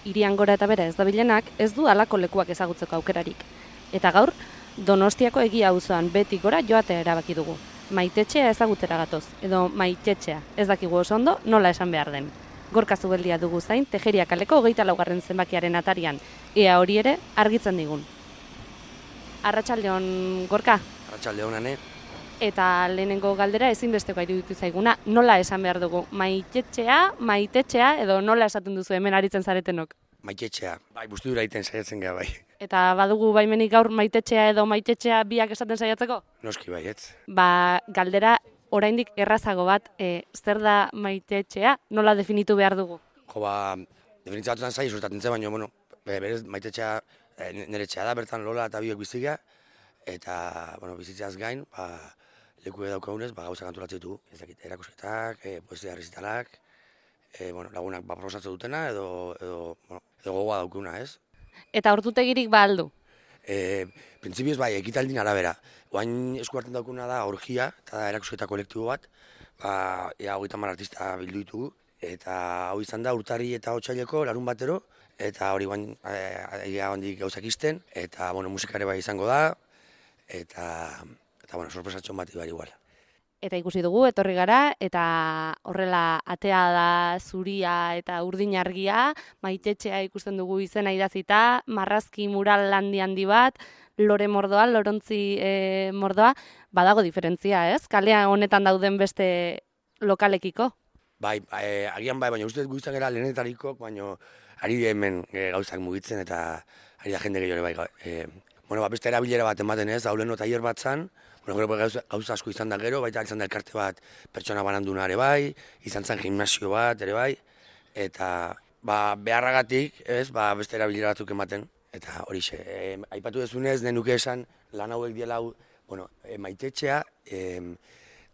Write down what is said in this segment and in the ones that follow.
hirian gora eta bera ez dabilenak, ez du halako lekuak ezagutzeko aukerarik. Eta gaur, Donostiako Egia auzoan beti gora joatea erabaki dugu. Maitetxea ezagutera gatoz, edo maitetxea, ez dakigu oso ondo nola esan behar den. Gorka Zubeldia dugu zain, Tejeria kaleko 24. zenbakiaren atarian, ea hori ere argitzen digun. Arratsaldeon, Gorka. Arratsaldeon, Ane. Eta lehenengo galdera ezinbesteko iruditu zaiguna, nola esan behar dugu? Maitetxea, edo nola esaten duzu hemen aritzen zaretenok? Maitetxea, bai, busti dura iten saiatzen gara, bai. Eta badugu baimenik gaur maitetxea edo maitetxea biak esaten saiatzeko? Noski bai, ez. Galdera oraindik errazago bat, zer da maitetxea, nola definitu behar dugu? Definitza batutan zai, suertatzen zen, baina, berez maitetxea nire etxea da, bertan Lola eta biok biziga, eta, bizitzeaz gain, leku daukagunez, gauza antolatzen ditugu, ez dakit, erakusketak, poesia errezitalak, lagunak proposatzen dutena, edo gogoa daukuna, ez? Eta ordutegirik ba aldu? Printzipioz bai, ekitaldin arabera. Oain esku hartzen daukuna da orgia, eta da erakusketa kolektibo bat, ea 30 artista bildu ditugu, eta hau izan da urtarri eta otsaileko larun batero, eta hori guain egia handik gauzak izten, eta musikare bai izango da, eta sorpresatxon bat ibar igual. Eta ikusi dugu, etorri gara, eta horrela atea da zuria eta urdin argia, maitetxea ikusten dugu izena idazita, marrazki mural handi bat, lore mordoa, lorontzi mordoa, badago diferentzia, ez? Kalea honetan dauden beste lokalekiko? Bai, agian bai, baina uste guztan gara lehenetariko, baina ari hemen gauzak mugitzen eta ari da jende gehiago bai. Beste erabilera bat ematen ez, hauleno tailer bat zan, gauza asko izan da gero, baita izan da elkarte bat pertsona bananduna ere bai, izan zen gimnasio bat ere bai, eta beharragatik ez, beste erabilera batzuk ematen, eta horixe, aipatu dezunez, nenuke esan lan hauek diela hau, maitetxea,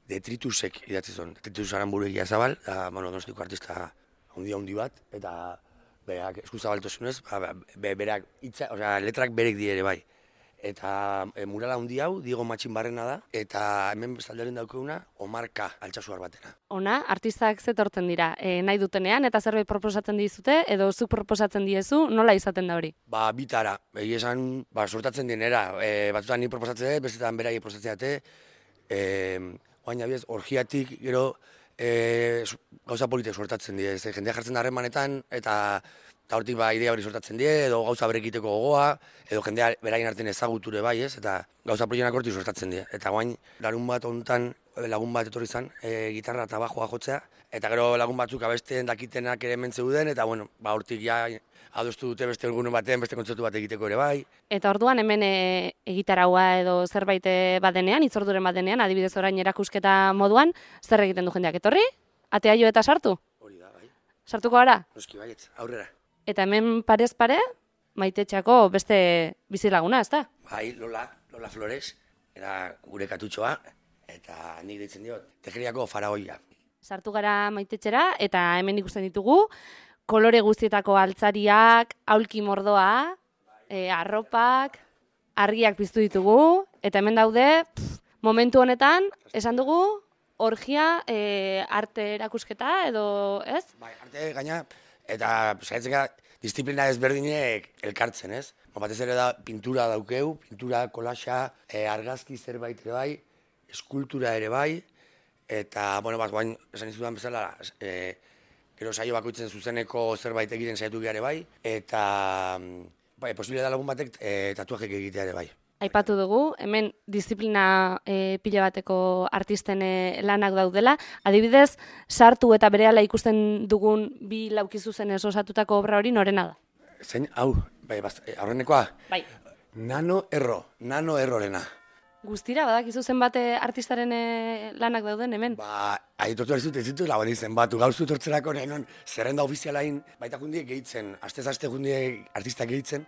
detritusek idatzi zuen, detritus Aranburu Egia Zabal, Donostiko artista handi bat, eta berak eskuzabaltosunez, berak letrak berek di ere bai. Eta murala handi hau, Diego Matxinbarrena da, eta hemen bestaldaren daukaguna, Omarka altxasuar batena. Ona, artistak zetortzen dira, nahi dutenean, eta zerbait proposatzen dizute, edo zuk proposatzen diezu, nola izaten da hori? Bitara, egia esan, sortatzen dienera, batzutan ni proposatzen dut, bestetan berai proposatzen dute, oain abiez, orgiatik, gero, gauza politek sortatzen die, jendea jartzen da harremanetan, eta hortik idea hori sortatzen die, edo gauza berekiteko gogoa, edo jendea beraien artean ezaguture bai, ez, eta gauza proienak hortik sortatzen die. Eta guain, larun bat honetan, lagun bat etorri izan, gitarra eta bajoa jotzea, eta gero lagun batzuk abesten dakitenak ere hemen zeuden, eta hortik ja adostu dute beste egunen batean, beste kontzertu bat egiteko ere bai. Eta orduan hemen egitaraua edo zerbait badenean, hitzorduren badenean, adibidez orain erakusketa moduan, zer egiten du jendeak etorri? Atea jo eta sartu? Hori da, bai. Sartuko gara? Noski baietz, aurrera. Eta hemen parez pare, maitetxeako beste bizilaguna, ez da? Bai, Lola Flores, era gure katutxoa, eta nik deitzen diot, Tejeriako faraoia. Sartu gara maitetxera, eta hemen ikusten ditugu, kolore guztietako altzariak, aulki mordoa, arropak, argiak piztu ditugu, eta hemen daude, momentu honetan, esan dugu, orgia, arte erakusketa, edo, ez? Bai, arte gaina, eta saiatzen gara disiplina ezberdinek elkartzen, ez? Batez ere da pintura daukeu, pintura, kolaxa, argazki zerbait ere bai, eskultura ere bai, eta, guain esan izudan bezala, gero saio bakoitzen zuzeneko zerbait egiten saiatu gara ere bai, eta posibilea da lagun batek tatuajek egitea ere bai. Aipatu dugu, hemen disiplina pila bateko artisten lanak daudela. Adibidez, sartu eta berehala ikusten dugun bi laukizuzenez osatutako obra hori norena da? Zein, hau, aurrenekoa? Bai. Nano errorena. Guztira, badakizu zenbat artistaren lanak dauden hemen? Aitortu ez dut laguan zenbatu, gauztu tortzerako non zerrenda ofizialain baita jundiek gehitzen, astez-aste jundiek artistak gehitzen,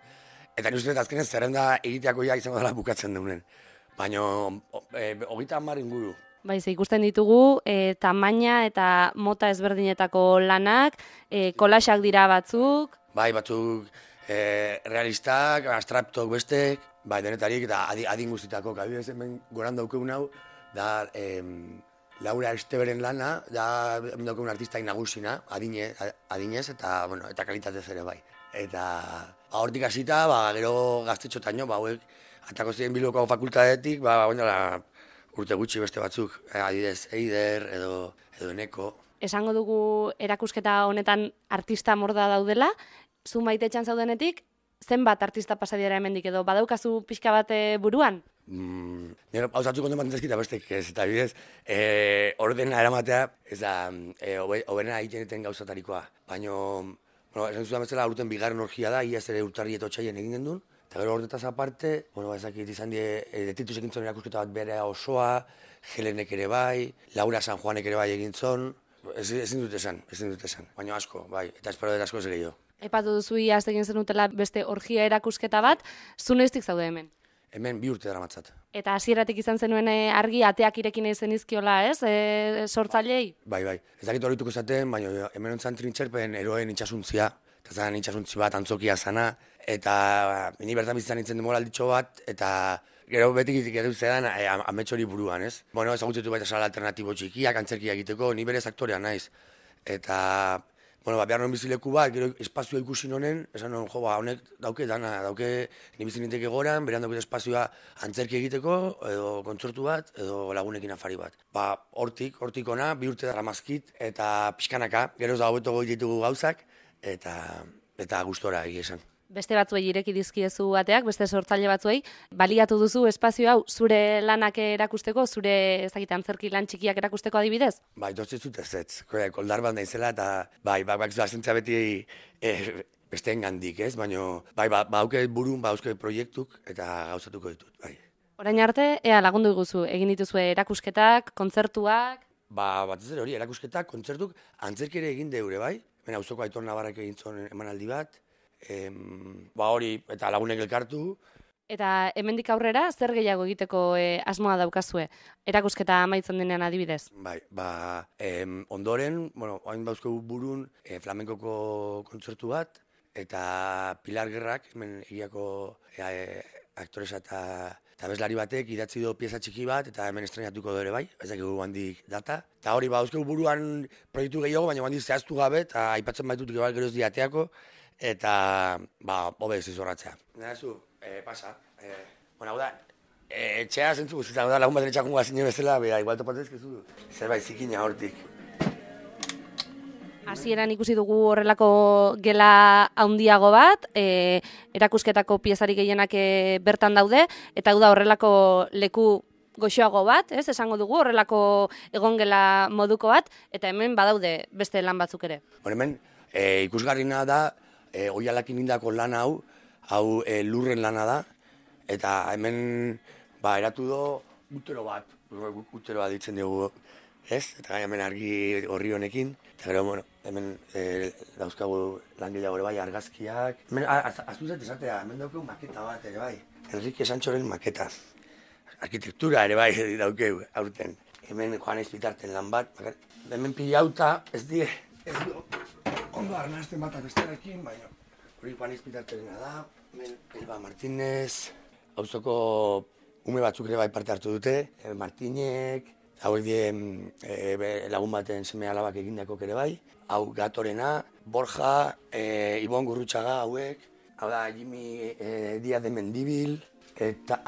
eta ni uste dut azkenez zerrenda egiteako ja izango dela bukatzen deunen. Baina, 30 inguru. Ze ikusten ditugu, tamaina eta mota ezberdinetako lanak, kolaxak dira batzuk. Bai, batzuk realistak, abstraktok bestek, denetarik eta adin guztitako. Adibidez hemen goran daukun hau, da Laura Esteberen lana, da daukagun artistai nagusina, adinez eta, bueno, eta kalitatez ere bai. Eta hortik hasita, gero gaztetxotaino, hauek atako ziren Bilboko fakultatetik, urte gutxi beste batzuk, adidez Eider edo Eneko. Esango dugu erakusketa honetan artista morda daudela, zu Maitetxean zaudenetik, zenbat artista pasadiera hemendik edo badaukazu pixka bat buruan? Nero pausatzu konten bat entezkita bestek ez, eta bidez, ordena eramatea, ez da, hobena egiten gauzatarikoa. Baina, bueno, esan zudan bezala, urten bigarren orgia da, iaz ere urtarri eta otxaien egin gendun. Eta gero horretaz aparte, ezakit izan Detritus egin zon erakusketa bat bere osoa, Helenek ere bai, Laura San Juanek ere bai egin zon. Ezin dut esan. Baina asko, bai, eta espero dut asko ez gehiago. Epatu duzu iaz egin zenutela beste orgia erakusketa bat, zu noiztik zaude hemen? Hemen 2 urte daramatzat. Eta hasieratik izan zenuen argi ateak irekin ezen izkiola, ez? Sortzailei? Bai. Ez dakit horituko zaten, baina hemen ontzan trintxerpen eroen itxasuntzia. Eta zan itxasuntzi bat antzokia zana. Eta ni bertan bizitzan nintzen demoralditxo bat, eta gero betik edu zedan ametxori buruan, ez? Bueno, ezagutzetu baita sala alternatibo txikiak, antzerkia egiteko, ni berez aktorea naiz. Eta, bueno, behar non bizileku bat, gero espazioa ikusi nonen, esan non, honek dauke dana, ni bizi ninteke goran, beran dauke espazioa antzerki egiteko, edo kontzertu bat, edo lagunekin afari bat. Hortik ona, 2 urte daramazkit, eta pixkanaka, gero ez da hobeto goi ditugu gauzak, eta gustora egia esan. Beste batzuei ireki dizkiezu ateak, beste sortzaile batzuei, baliatu duzu espazio hau zure lanak erakusteko, zure antzerki lan txikiak erakusteko adibidez? Bai, dortzez dut ez, koldar bat naizela, eta bazentzia beti besteen gandik, ez? Baina, bauke burun, bauzke proiektuk, eta gauzatuko ditut, bai. Orain arte, ea lagundu iguzu, egin dituzue erakusketak, kontzertuak? Batez ere hori, erakusketak, kontzertuk, antzerki ere egin deure, bai? Hemen auzoko Aitor Navarrak egin zuen emanaldi bat, hori, eta lagunek elkartu. Eta hemendik aurrera, zer gehiago egiteko asmoa daukazue? Erakusketa amaitzen denean adibidez? Bai, ondoren, hain bauzko burun flamenkoko kontzertu bat, eta Pilar Gerrak, hemen egiako aktoresa eta bezlari batek idatzi do pieza txiki bat, eta hemen estrenatuko dure bai, ez dakigu handik data. Eta hori, bauzko buruan proiektu gehiago, baina handik zehaztu gabe, eta aipatzen baitut gero ez diateako, eta, hobe ez izorratzea. Nahezu, pasa. Hau da, etxea zentzu guztietan, hau da, lagun baten etxakun gazine bezala, igual topatezkezu, zerbait zikina hortik. Hasieran ikusi dugu horrelako gela handiago bat, erakusketako piezari gehienak bertan daude, eta hau da horrelako leku goxoago bat, esango dugu, horrelako egongela moduko bat, eta hemen badaude beste lan batzuk ere. Hemen ikusgarrina da, oialakin indako lan hau lurren lana da, eta hemen eratu do utero bat ditzen dugu, ez? Eta hemen argi horri honekin, eta gero, hemen dauzkagu langileago ere bai, argazkiak. Hemen, aztu zait esatea, hemen daukegu maketa bat ere bai, Enrique Sanchoren maketa. Arkitektura ere bai daukegu aurten. Hemen Joan Espitarten lan bat, hemen pilauta ez die, ondo arnazten bat abestarekin, baina hori Juan Espitartena da, hemen Elba Martínez, auzoko ume batzuk ere bai parte hartu dute, Martinek, hauek die lagun baten seme alabak egindako ere bai, hau Gatorena, Borja, Ibon Gurrutxaga hauek, hau da Jimmy Díaz de Mendibil, eta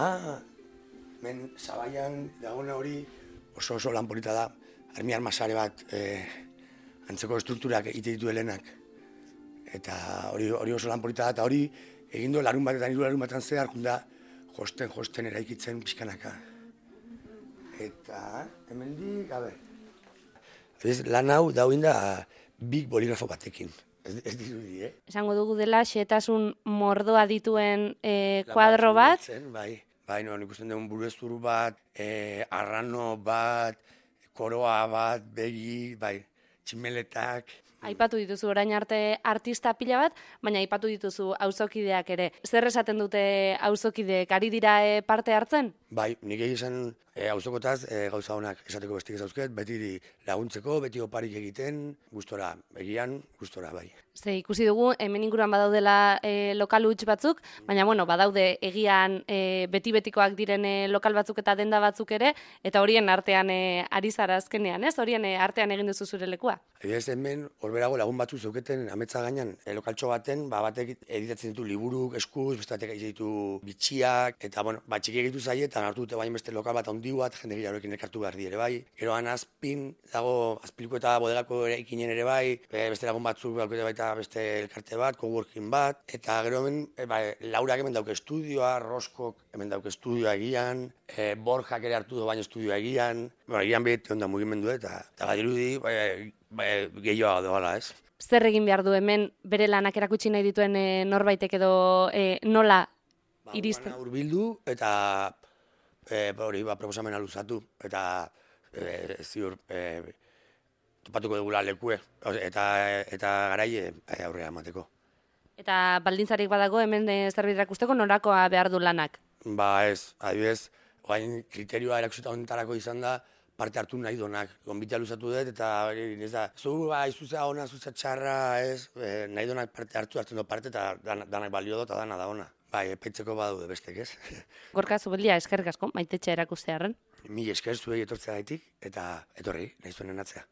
men Zabaian dagoena hori oso lan polita da, armi armasare bat antzeko estrukturak egite ditu helenak. Eta hori oso lan polita da, eta hori egindu larun batetan, hiru larun batetan zehar, junda josten eraikitzen pixkanaka. Eta hemendik, lan hau dauin da big boligrafo batekin. Ez dirudi, Esango dugu dela, xehetasun mordoa dituen kuadro bat. Bai, nik usten dugun burezur bat, arrano bat, koroa bat, begi, tximeletak. Aipatu dituzu orain arte artista pila bat, baina aipatu dituzu auzokideak ere. Zer esaten dute auzokideek, ari dira parte hartzen? Bai, nik egizan Auzokotaz gauza honak esateko bestik ez dauzket, beti laguntzeko, beti oparik egiten, gustora, egian, gustora bai. Ze ikusi dugu, hemen inguruan badaudela lokal huts batzuk, baina badaude egian beti-betikoak diren lokal batzuk eta denda batzuk ere, eta horien artean ari zara azkenean, ez? Horien artean egin duzu zure lekua. Adibidez hemen, horberago lagun batzu zeuketen ametsa gainean lokaltxo baten, batek editatzen ditu liburuk, eskuz, beste batek egiten ditu bitxiak, eta txiki egitu zaie, eta hartu dute baina beste lokal bat handi bat, jende gehiagorekin elkartu behar ere bai. Gero azpin dago, azpiliko eta bodegako eraikinen ere bai, beste lagun batzuk baita beste elkarte bat, coworking bat, eta gero hemen, Laurak hemen dauke estudioa, Roskok hemen dauke estudioa egian, Borjak ere hartu du baina estudioa egian, egian beti onda mugimendu eta badirudi gehiago doala, ez? Zer egin behar du hemen bere lanak erakutsi nahi dituen norbaitek edo nola iristen? Hurbildu eta proposamena luzatu eta ziur topatuko dugula lekue eta garaie aurrera emateko. Eta baldintzarik badago hemen zerbait erakusteko norakoa behar du lanak? Ez, adibidez, orain kriterioa erakusita honetarako izan da parte hartu nahi donak. Gonbitea luzatu dut eta izuzea ona, izuzea txarra, nahi donak parte hartzen du parte eta danak balio dut eta dana da ona. Epaitzeko badaude bestek, ez? Gorka Zubeldía, eskerrik asko, Maitetxe erakustearren. Mila esker zuei etortzea gaitik eta etorri, nahi zuen enatzea.